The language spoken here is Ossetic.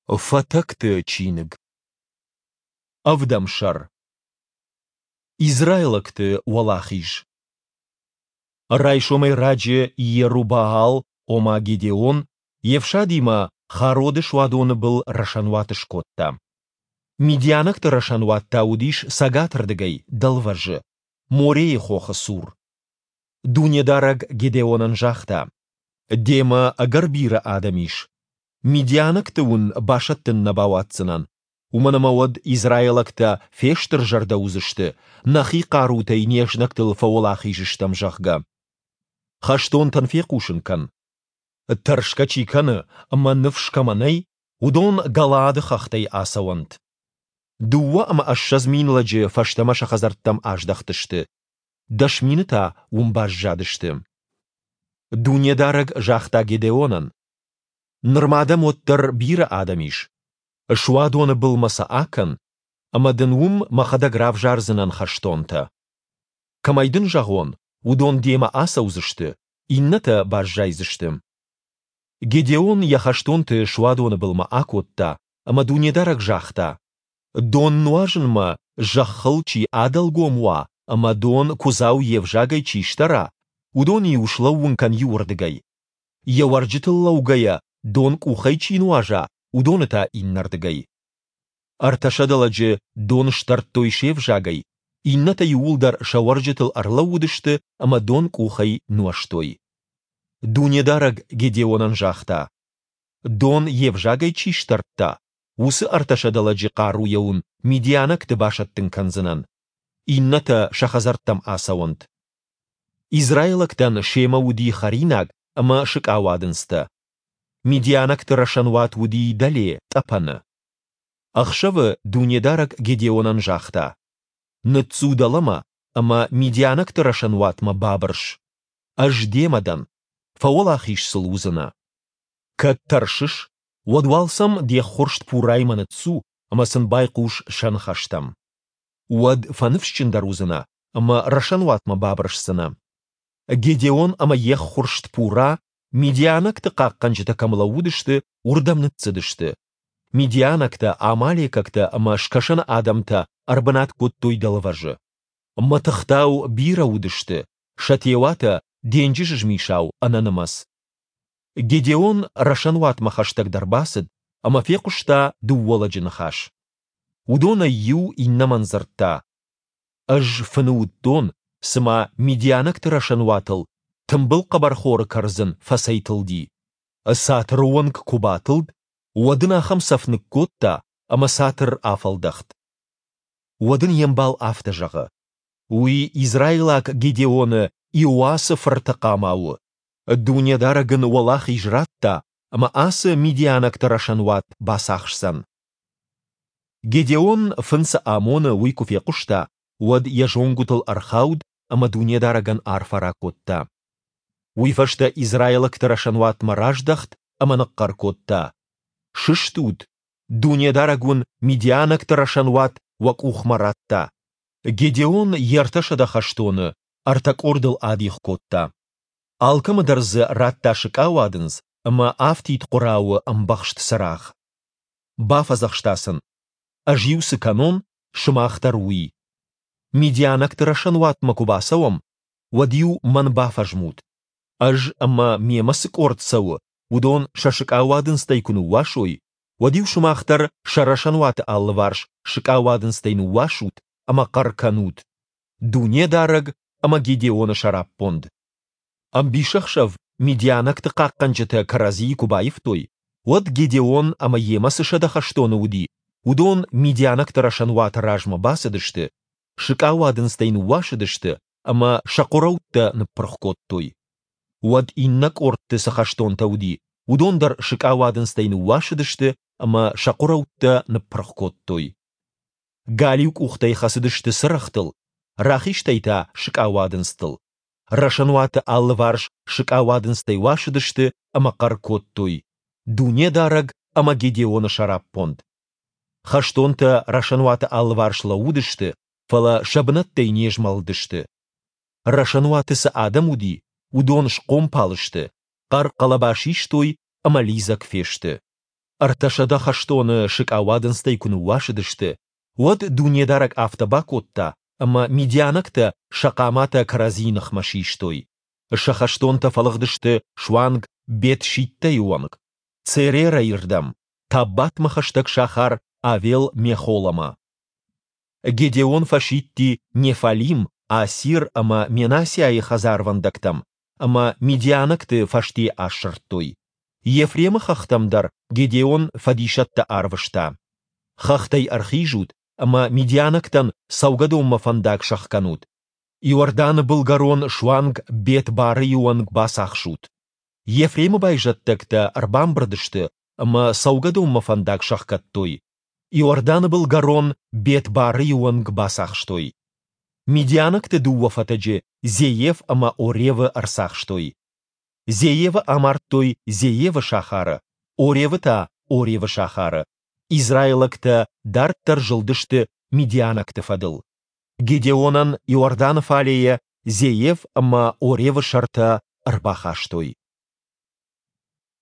Фатӕгты чиныг. Ӕвдӕм сӕр. Израилӕгты уӕлахиз. Райсомӕй раджы Иеруббаал, ома Гедеон, йе фсадимӕ Хароды суадоны был рӕсӕнуат скодта. Мидианӕгты рӕсӕнуат та уыдис цӕгатырдыгӕй, дӕлвӕзы, Морейы хохы цур. Дунедарӕг Гедеонӕн загъта: Демӕ ӕгӕр бирӕ адӕм ис. Мидианӕгты уын басӕттын нӕ бауадздзынӕн, уымӕн ӕмӕ уӕд израилӕгтӕ фестырзӕрдӕ уыдзысты, нӕхи хъарутӕй не знӕгтыл фӕуӕлахиз стӕм, зӕгъгӕ. Хӕстонтӕн фехъусын кӕн: тӕрсгӕ чи кӕны ӕмӕ ныфс кӕмӕ нӕй, уыдон Галаады хӕхтӕй ацӕуӕнт. 22 000 лӕджы фӕстӕмӕ сӕ хӕдзӕрттӕм аздӕхтысты, 10 000 та уым баззадысты. Дунедарӕг загъта Гедеонӕн: Нырма дӕм уӕддӕр бирӕ адӕм ис. Суадоны былмӕ сӕ акӕн, ӕмӕ дын уым мӕхӕдӕг равзардзынӕн хӕстонтӕ. Кӕмӕй дын зӕгъон, уыдон демӕ ацӕудзысты, иннӕтӕ баззайдзысты. Гедеон йӕ хӕстонты суадоны былмӕ акодта, ӕмӕ Дунедарӕг загъта: Дон нуазынмӕ зӕххыл чи адӕлгом уа ӕмӕ дон куыдзау йе взагӕй чи сдӕра, уыдоны-иу слӕууын кӕн иуырдыгӕй. Йӕ уӕрджытыл лӕугӕйӕ дон къухӕй чи нуаза, уыдоны та иннӕрдыгӕй. 300 лӕджы дон сдӕрдтой се взагӕй, иннӕтӕ иууылдӕр сӕ уӕрджытыл ӕрлӕууыдысты ӕмӕ дон къухӕй нуӕзтой. Дунедарӕг Гедеонӕн загъта: Дон йе взагӕй чи сдӕрдта, уыцы 300 лӕджы хъаруйӕ уын мидианӕгты басӕттын кӕндзынӕн. Иннӕтӕ сӕ хӕдзӕрттӕм ацӕуӕнт. Израилӕгтӕн семӕ уыди хӕринаг ӕмӕ сыкъауадындзтӕ. Мидианӕгты рӕсӕнуат уыди дӕле, тъӕпӕны. Ӕхсӕвы Дунедарӕг Гедеонӕн загъта: Ныццу дӕлӕмӕ ӕмӕ мидианӕгты рӕсӕнуатмӕ бабырс. Ӕз демӕ дӕн, фӕуӕлахиз сыл уыдзынӕ. Кӕд тӕрсыс, уӕд уал сӕм де ххуырст Пураймӕ ныццу ӕмӕ сын байхъус сӕ ныхӕстӕм. Уӕд фӕныфсджындӕр уыдзынӕ ӕмӕ рӕсӕнуатмӕ бабырсдзынӕ. Гедеон ӕмӕ йе ххуырст Пура, мидианӕгты хъахъхъӕнджытӕ кӕм лӕууыдысты, уырдӕм ныццыдысты. Мидианӕгтӕ, амалекӕгтӕ ӕмӕ скӕсӕны адӕмтӕ ӕрбынат кодтой дӕлвӕзы. Мӕтыхтау бирӕ уыдысты, сӕ теуатӕ денджызы змисау ӕнӕнымӕц. Гедеон рӕсӕнуатмӕ хӕстӕгдӕр бацыд ӕмӕ фехъуыста дыууӕ лӕджы ныхас. Уыдонӕй иу иннӕмӕн дзырдта: Ӕз фыны уыдтон, цыма мидианӕгты рӕсӕнуатыл тымбыл хъӕбӕрхоры кӕрдзын фӕцӕйтылди. Цатыры онг куы батылд, уӕд ын ахӕм цӕф ныккодта, ӕмӕ цатыр афӕлдӕхт. Уӕд ын йе мбал афтӕ зӕгъы: Уый израилаг Гедеоны Иоасы фырты хъама у. Дунедарӕг ын уӕлахиз радта, ӕмӕ ацы мидианӕгты рӕсӕнуат бацахсдзӕн. Гедеон фын цы амоны, уый куы фехъуыста, уӕд йӕ зонгуытыл ӕрхауд ӕмӕ Дунедарӕгӕн арфӕ ракодта. Уый фӕстӕ израилӕгты рӕсӕнуатмӕ раздӕхт ӕмӕ ныхъхъӕр кодта: Сыстут! Дунедарӕг уын мидианӕгты рӕсӕнуат уӕ къухмӕ радта. Гедеон йе 300 хӕстоны ӕртӕ къордыл адих кодта. Алкӕмӕ дӕр дзы радта сыкъауадындз ӕмӕ афтид хъуырауы ӕмбӕхст цырагъ. Бафӕдзӕхста сын: Ӕз-иу цы кӕнон, сымах дӕр уый. Мидианӕгты рӕсӕнуатмӕ куы бацӕуӕм, уӕд-иу мӕн бафӕзмут. Ӕз ӕмӕ мемӕ цы къорд цӕуы, уыдон сӕ сыкъауадындзтӕй куы ныууасой, уӕд-иу сымах дӕр сӕ рӕсӕнуаты алыварс сыкъауадындзтӕй ныууасут ӕмӕ хъӕр кӕнут: Дунедарӕг ӕмӕ Гедеоны сӕраппонд! Ӕмбисӕхсӕв мидианӕгты хъахъхъӕнджытӕ кӕрӕдзийы куы баивтой, уӕд Гедеон ӕмӕ йемӕ цы 100 хӕстоны уыди, уыдон мидианӕгты рӕсӕнуаты размӕ бацыдысты, сыкъауадындзтӕй ныууасыдысты ӕмӕ сӕ хъуырӕуттӕ ныппырх кодтой. Уӕд иннӕ къордты цы хӕстонтӕ уыди, уыдон дӕр сыкъауадындзтӕй ныууасыдысты ӕмӕ сӕ хъуырӕуттӕ ныппырх кодтой. Галиу къухтӕй хӕцыдысты цырӕгътыл, рахизтӕй та сыкъауадындзтыл. Рӕсӕнуаты алыварс сыкъауадындзтӕй уасыдысты ӕмӕ хъӕр кодтой: Дунедарӕг ӕмӕ Гедеоны сӕраппонд! Хӕстонтӕ рӕсӕнуаты алыварс лӕууыдысты, фӕлӕ сӕ бынӕттӕй не змӕлыдысты. Рӕсӕнуаты цы адӕм уыди, уыдон схъомпал сты, хъӕр-хъӕлӕба систой ӕмӕ лидзӕг фесты. 300 хӕстоны сыкъауадындзтӕй куы ныууасыдысты, уӕд Дунедарӕг афтӕ бакодта, ӕмӕ мидианӕгтӕ сӕ хъаматӕ кӕрӕдзийы ныхмӕ систой. Сӕ хӕстонтӕ фӕлыгъдысты суанг Бет-Шиттӕйы онг, Церерайы рдӕм, Таббатмӕ хӕстӕг сахар Авел-Мехоламӕ. Гедеон фӕсидти Неффалим, Асир ӕмӕ Менассиайы хӕдзарвӕндӕгтӕм, ӕмӕ мидианӕгты фӕсте асырдтой. Ефремы хӕхтӕм дӕр Гедеон фӕдисӕттӕ арвыста. Хӕхтӕй ӕрхизут ӕмӕ мидианӕгтӕн цӕугӕдонмӕ фӕндаг сӕхгӕнут. Иорданы былгӕрон суанг Бет-Барайы онг бацахсут. Ефремы байзӕддӕгтӕ ӕрбамбырд сты ӕмӕ цӕугӕдонмӕ фӕндаг сӕхгӕдтой. Иорданы былгӕрон Бет-Барайы онг бацахстой. Мидианӕгты дыууӕ фӕтӕджы Зеев ӕмӕ Оревы ӕрцахстой. Зеевы амардтой Зеевы сахары, Оревы та Оревы сахары. Израилӕгтӕ дарддӕр зылдысты мидианӕгты фӕдыл. Гедеонӕн Иорданы фалейӕ Зеев ӕмӕ Оревы сӕртӕ ӕрбахастой.